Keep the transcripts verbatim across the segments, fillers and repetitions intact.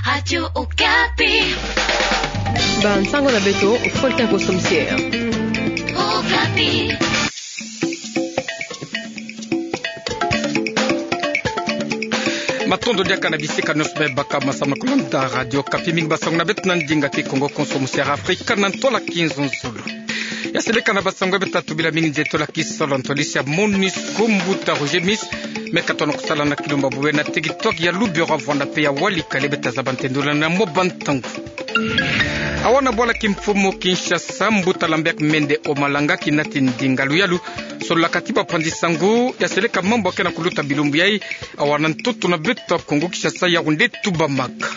Radio Okapi. Bansango na beto, folka koso misi'e. Okapi. Matondo diaka na bisika nioso me baka masamu na kolanda Radio Okapi. Mingi basango na beto na ndinga Kikongo, koso misi'e Afrika na ntwala kinzonzolo. Ya seleka na basango beto tatu bila mingi nzeto la kisalu ya ntwadisi ya MONUSCO, mbuta Roger Miss me katono kusala na kilumba bube na teritware ya Lubero, Vuanda pe ya Walikale. Beta zaba ntendula na mwa bantangu. Awa na bwala kimfumu Kinshasa, mbuta Lambert Mende Omalanga kinati ndinga luyalu sololaka ti bapanzi-nsangu ya seleka mambu akena kuluta bilumbu yai awa na ntoto na beto ya Kongo Kinshasa, Yaoundé tubamaka.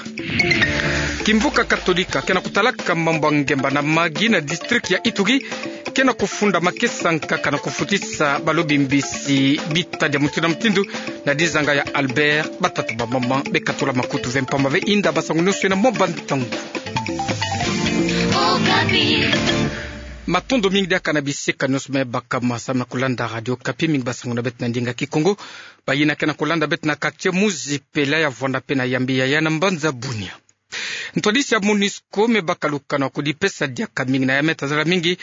Kimvuka Katolika kena kutalaka mambu ya ngemba na magi na district ya Ituri kena kufunda makesa nkaka na kufutisa balobi mbisi bitadi ya mutindu na mutindu na dizanga ya Albert. Batata, bamama, bekatula makutu ve mpamba ve inda basango nioso na mwa bantangu. Matondo mingi diaka na bisika nioso me baka masamu na kolanda Radio Okapi. Mingi basango na beto na ndinga Kikongo. Bayina kena kolanda beto na quartier Muzipela ya Vuanda pe na Yambio ya na mbanza Bunia. Ntwadisi ya MONUSCO me baka lukano ya kudipesa diaka mingi na ya me ta zala mingi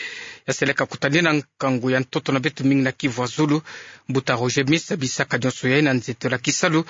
ya seleka kutanina nkangu ya ntoto na beto mingi na Kivu ya Zulu. Mbuta Roger Miss abisaka nioso yai na nzeto la kisalu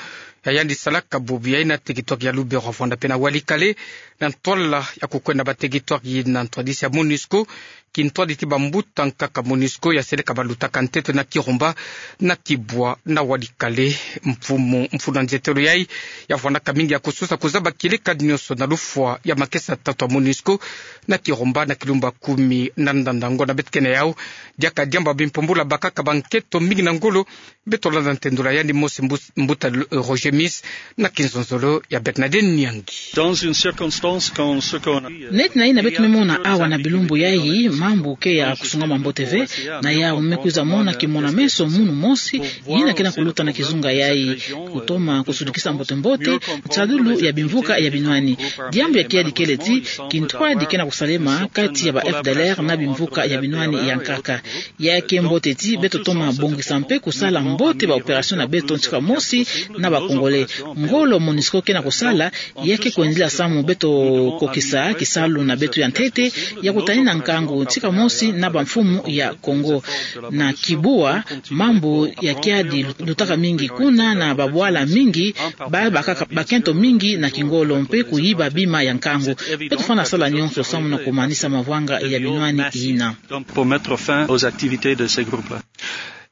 ya yandi salaka bubu yai na teritware ya Lubero, Vuanda pe na Walikale na ntwala ya kukwenda ba teritware yina. Ntwadisi ya MONUSCO kintwadi ti bambuta nkaka MONUSCO ya seleka balutaka ntete na Kirumba, na Kibwa, na Walikale. Mfumu, mfunu ya nzetelo yai yavwandaka mingi ya kususa kuzaba kieleka nioso na lufwa ya makesa tatu ya MONUSCO na Kirumba na kilumba kumi na ndanda. Ngo na beto kena yau, diaka diambu ya bimpumbula bakaka bankento mingi na ngolo. Beto landa ntendula yandi mosi mbu-, mbuta Roger Miss na kinzonzolo ya Bernadette Nyangi. Dans une circonstance quand ce qu'on a... Neti na yina beto me mona awa na bilumbu yai, mambu ke ya kusungama mbote ve, na yau me kwiza mona kimona-meso munu mosi yina kena kuluta na kizunga yai, kutoma kusudukisa mbote-mbote nsalulu ya bimvuka ya binwani. Diambu ya kiadi kele ti kintwadi kena kusalema kati ya ba F D L R na bimvuka ya binwani ya nkaka. Ya ke mbote ti beto toma bongisa mpe kusala mbote ba opération na beto ntika mosi na ba Congolais. Ngolo MONUSCO kena kusala, ya ke kwendila samu beto kokisa kisalu na beto ya ntete ya kutanina nkangu ntika mosi na bamfumu ya Congo. Na Kibwa, mambu ya kiadi lutaka mingi kuna na babwala mingi, ba bakaka bakento mingi na kingolo mpe kuyiba bima ya nkangu. Beto fwana sala nionso samu na kumanisa mavwanga ya binwani yina. Donc, pour mettre fin aux activités de ces groupes-là.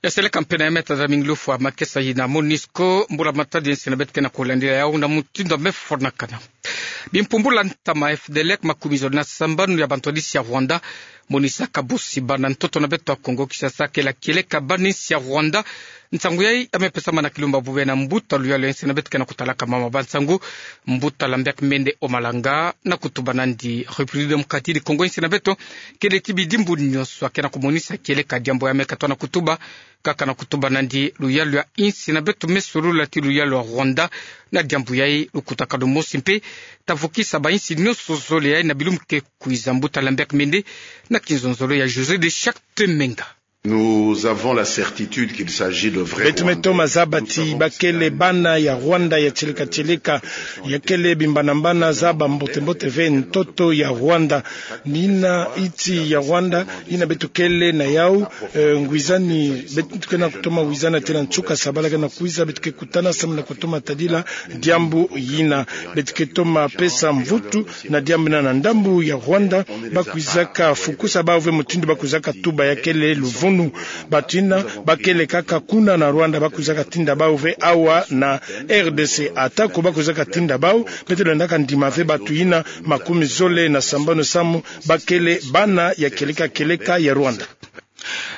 Ya seleka mpe na ya me ta zaba mingi lufwa makesa yina MONUSCO, mbula-matadi ya nsi na beto kena kulandila yau na mutindu ya me fwanakana. Bimpumbula ntama F D L R makumi zole na sambanu ya bantwadisi ya Rwanda monisaka bosi bana ntoto na beto ya Congo Kinshasa kela kieleka bana nsi ya Rwanda. Nsangu yai ya me pesama na kilumba bube na mbuta luyalu ya nsi na beto kena kutalaka mama bansangu, mbuta Lambert Mende Omalanga, na kutuba nandi République Démocratique du Congo, nsi na beto kele ti bidimbu nionso ya kena kumonisa kieleka diambu ya me katoa na kutuba, kaka na kutuba nandi luyalu ya nsi na beto me solula ti luyalu ya Rwanda. Na diambu yai lukutakanu mosi mpe ta vukisa bansi nionso zole yai na bilumbu ke kwiza. Mbuta Lambert Mende na kinzonzolo ya José de Charte Menga. Nous avons la certitude qu'il s'agit de vrais Rwandais. Beto me toma zaba ti ba kele bana ya Rwanda ya tieleka tieleka, ya kele bimbanambana, zaba mbote-mbote ve ntoto ya Rwanda. Ni yina iti ya Rwanda yina beto kele na yau, eh, ngwizani, beto kena kutoma wizana tena nsuka sabala kena kwiza, beto ke kutana samu na kutoma tadila diambu yina. Beto ke toma pesa mvutu na diambu yina na ndambu ya Rwanda, ba kwizaka fukusa bau ve mutindu ba kwizaka tuba ya kele luvunu. Bantu yina ba kele kaka kuna na Rwanda ba kwizaka tinda bau ve awa na R D C. Atako ba kwizaka tinda bau, beto lendaka ndima ve bantu yina makumi zole na sambanu samu ba kele bana ya kieleka kieleka ya Rwanda.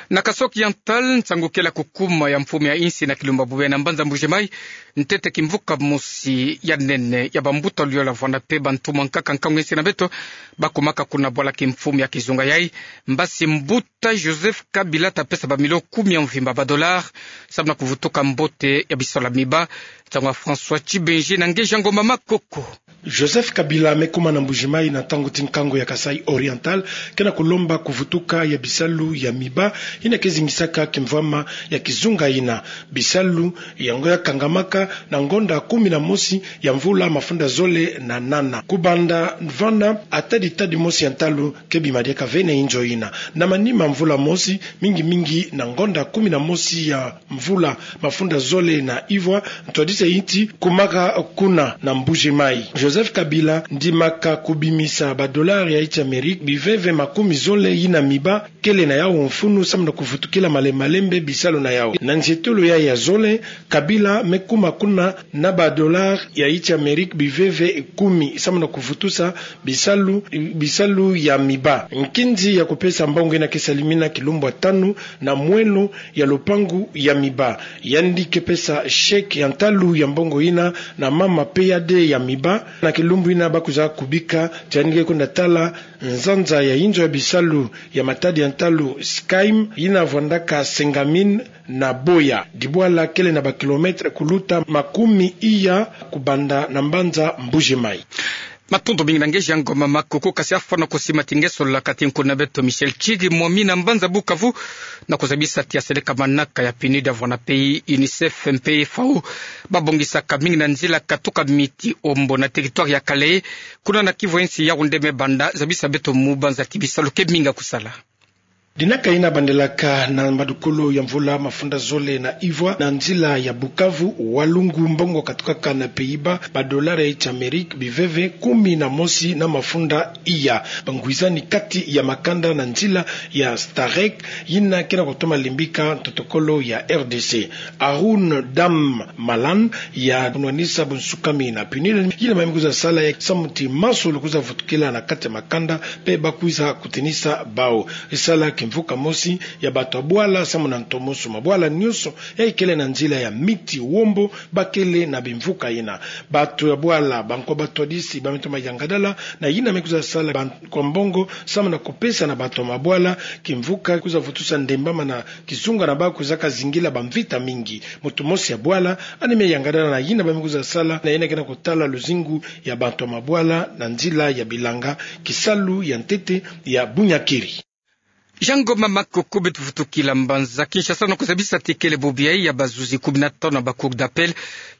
Na Kasaï Oriental, nsangu kele ya kukuma ya mfumu ya nsi na kilumba bube na mbanza Mbuji-Mayi, ntete kimvuka mosi ya nene ya bambuta luyalu ya Rwanda mpe bantu mwa nkaka nkangu ya nsi na beto ba kumaka kuna bwala kimfumu ya kizunga yai. Mbasi mbuta Joseph Kabila ta pesa bamilio kumi ya mvimba, ba dollars, samu na kuvutuka mbote ya bisalu ya miba. Nsangu ya François Tshibenji na Ngeja Ngoma Makoko. Joseph Kabila me kuma na Mbuji-Mayi na ntangu ti nkangu ya Kasaï Oriental, ke na kulomba kuvutuka ya bisalu ya miba yina ke zingisaka kimvwama ya kizunga yina. Bisalu yango ya kangamaka na ngonda kumi na mosi ya mvula mafunda zole na nana. Kubanda vana, ata ditadi mosi ya ntalu ke bima diaka ve na inzo yina. Na manima mvula mosi, mingi mingi na ngonda kumi na mosi ya mvula mafunda zole na ivwa, ntwadisi ya insi kumaka kuna na Mbuji-Mayi. Joseph Kabila ndimaka kubimisa ba dollars ya insi Amérique biveve makumi zole yina miba kele na yau mfunu samu na kuvutukila malembe malembe bisalu na yau. Na nzietolo yayi ya zole, Kabila me kuma kuna na ba dollars ya insi Amérique biveve kumi samu na kuvutusa bisalu, bisalu ya miba. Nkinzi ya kupesa mbongo yina ke salimina kilumbu ya tanu na mwelo ya lupangu ya miba. Yandi ke pesa chèque ya ntalu ya mbongo yina na mama P A D ya miba na kilumbu yina ba kwiza kubika, tii yandi ke kwenda tala nzanza ya inzo ya bisalu ya matadi ya ntalu Skyme yina vwandaka Sengamine na Boya. Dibwala kele na ba kilomètres kuluta makumi iya kubanda na mbanza Mbuji-Mayi. Matondo mingi na nge Jean Ngoma Makoko, kasi afwana kusima ti nge solola kati nkuna beto Michel Tchidi Momi na mbanza Bukavu, na kuzabisa tii aseleka manaka ya PNUD, ya vwanda pe UNICEF mpe FAO, babongisaka mingi na nzila katuka miti Ombo na territoire ya Kalehe, kuna na Kivu ya nsi. Yaoundé me banda zabisa beto mu banza ti bisalu ke mingi ya kusala. Dinaka yina bandelaka na madukulu ya mvula mafunda zole na ivwa na nzila ya Bukavu, Walungu, mbongo katukaka na Pays-Bas, ba dollars ya insi Amérique biveve kumi na mosi na mafunda iya. Bangwizani kati ya makanda na nzila ya STAREC yina ke na kutoma limbika ntotokolo ya RDC. Haroun Dam Malan, ya kunwanisa bunsukami na PNUD, yina mami kwiza sala ya samu tii masolo kwiza vutukila na kati ya makanda, mpe ba kwiza kutinisa bau. Sala kimvuka mosi ya bato ya bwala samu na ntomoso. Mabwala nyonso yayi kele na nzila ya miti Ombo, ba kele na bimvuka yina. Bato ya bwala, bankwa batwadisi, ba me toma yangadala na yina me kwiza sala ba nkwa mbongo samu na kupesa na bato ya mabwala kimvuka kwiza vutusa ndembama na kizunga na bau kwizaka zingila bamvita mingi. Moto mosi ya bwala yandi me yangadala na yina ba me kwiza sala, na yina ke na kutala luzingu ya bato ya mabwala na nzila ya bilanga, kisalu ya ntete ya bunyakiri. Jean Ngoma Makoko, beto vutukila mbanza Kinshasa na kuzabisa tii kele bobi yayi ya bazuzi kumi na tanu na ba cour d'appel,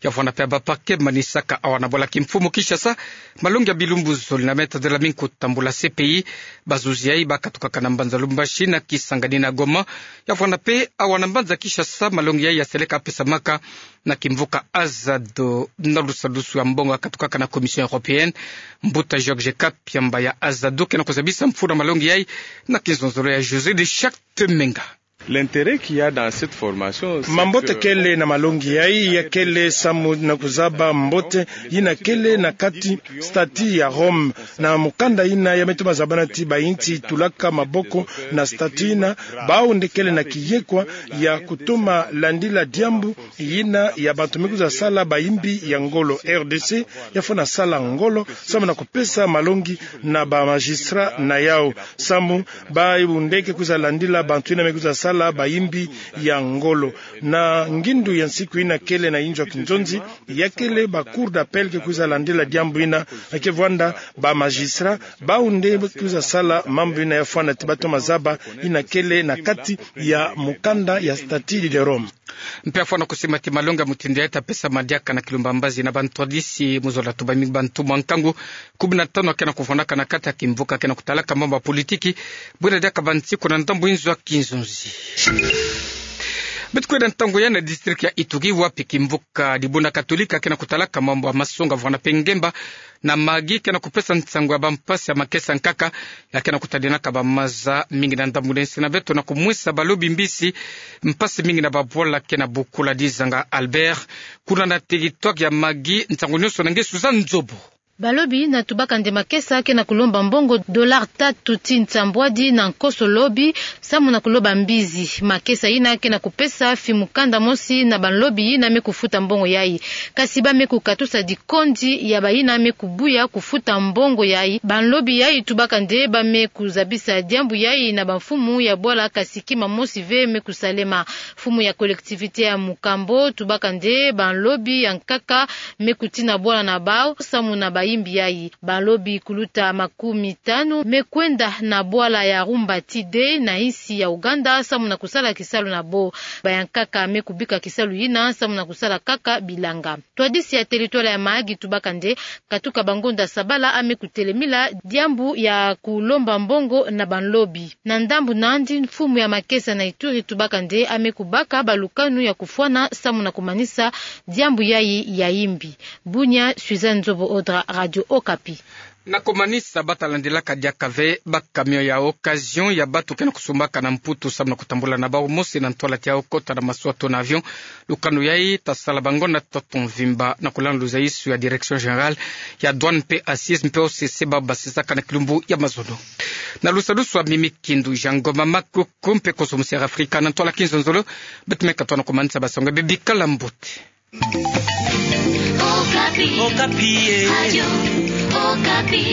ya vwanda pe ya ba parquet manisaka awa na bwala kimfumu Kinshasa, malongi ya bilumbu zole na Me Tadela Minko Tambula, CPI. Bazuzi yayi ba katukaka na mbanza Lubumbashi na Kisangani na Goma, ya vwanda pe awa na mbanza Kinshasa. Malongi yayi ya seleka pesamaka na kimvuka Azado na lusalusu ya mbongo ya katukaka na Commission européenne. Mbuta Georges Kapiamba ya Azado ke na kuzabisa mfunu ya malongi yayi na kinzonzolo ya José de Charte Menga. L'intérêt qu'il y a dans cette formation, c'est que... Mambote kele na malongi yayi, ya kele samu na kuzaba mbote yina kele na kati statut ya Rome. Na mukanda yina ya me toma zabana tii bayinsi tulaka maboko na statut yina, bau nde kele na kiyekwa ya kutoma landila diambu yina ya bato me kwiza sala bayimbi ya ngolo. RDC ya fwana sala ngolo samu na kupesa malongi na ba magistrat na yau, samu bau nde ke kwiza landila bato yina me kwiza sala bayimbi ya ngolo. Na ngindu ya nsiku yina kele na inzo ya kinzonzi, ya kele ba cour d'appel ke kwiza landila diambu yina, ke vwanda ba magistrat, bau nde kwiza sala mambu yina. Ya fwana tii ba toma zaba yina kele na kati ya mukanda ya statut de Rome. Mpe ya fwana kusima tii malongi ya mutindu yayi ta pesama diaka na Kilumba Mbazi na bantwadisi mu zola tuba mingi bantu mwa nkangu kumi na tanu ke na kuvwandaka na kati ya kimvuka ke na kutalaka mambu ya politiki, bwena diaka bansiku na ndambu inzo ya kinzonzi. Beto kwenda ntangu yayi na district ya Ituri, wapi kimvuka Dibunda Katolika ke na kutalaka mambu ya masonga vwanda pe ngemba na magi ke na kupesa nsangu ya bampasi ya makesa nkaka ya ke na kutadinaka bamaza mingi na ndambu na insi na beto na kumwesa balobi mbisi mpasi mingi na babwala ke na bukula. Dizanga Albert, kuna na territoire ya magi, nsangu nyonso na nge Suzanne Nzobo. Balobi yina tubaka nde makesa ke na kulomba mbongo dollar tatu tii nsambwadi na nkoso lobi, samu na kuloba mbizi. Makesa yina ke na kupesa fimukanda mosi na banlobi yina me kufuta mbongo yayi. Kasi ba me kukatusa dikondi ya bayina me kubuya kufuta mbongo yayi. Banlobi yayi tubaka nde ba me kuzabisa diambu yayi na bamfumu ya bwala, kasi kima mosi ve me kusalema. Mfumu ya collectivité ya Mukambo tubaka nde banlobi ya nkaka me kutina bwala na bau samu na ba yimbi yayi. Balobi kuluta makumi tanu me kwenda na bwala ya Rumba Tide na insi ya Uganda samu na kusala kisalu na bo. Bayankaka me kubika kisalu yina samu na kusala kaka bilanga. Twadisi ya teritware ya Mahagi tubaka nde katuka bangonda sabala ame kutelemila diambu ya kulomba mbongo na banlobi. Na ndambu nandi, mfumu ya makesa na Ituri tubaka nde ame kubaka balukanu ya kufwana samu na kumanisa diambu yayi ya yimbi. Bunia, Suzanne Nzobo Odra, Radio Okapi. Na kumanisa bata landilaka diaka ve ba camion ya occasion ya batu ke na kusumbaka na Mputu samu na kutambula na bau mosi na ntwala tiao kota na masuwa to na avion. Lukanu yayi ta sala bangonda toto mvimba na kulanda luzaisu ya Direction Générale ya Douane mpe Assises mpe O C C ba basisaka na kilumbu ya mazono. Na lusadusu a Mimi Kindu, Jean Ngoma Makuku mpe konso musi ya Afrika na ntwala kinzonzolo. Beto me katoa na kumanisa basonge be bikala mbote. Okapi. Okapi, eh. Radio Okapi.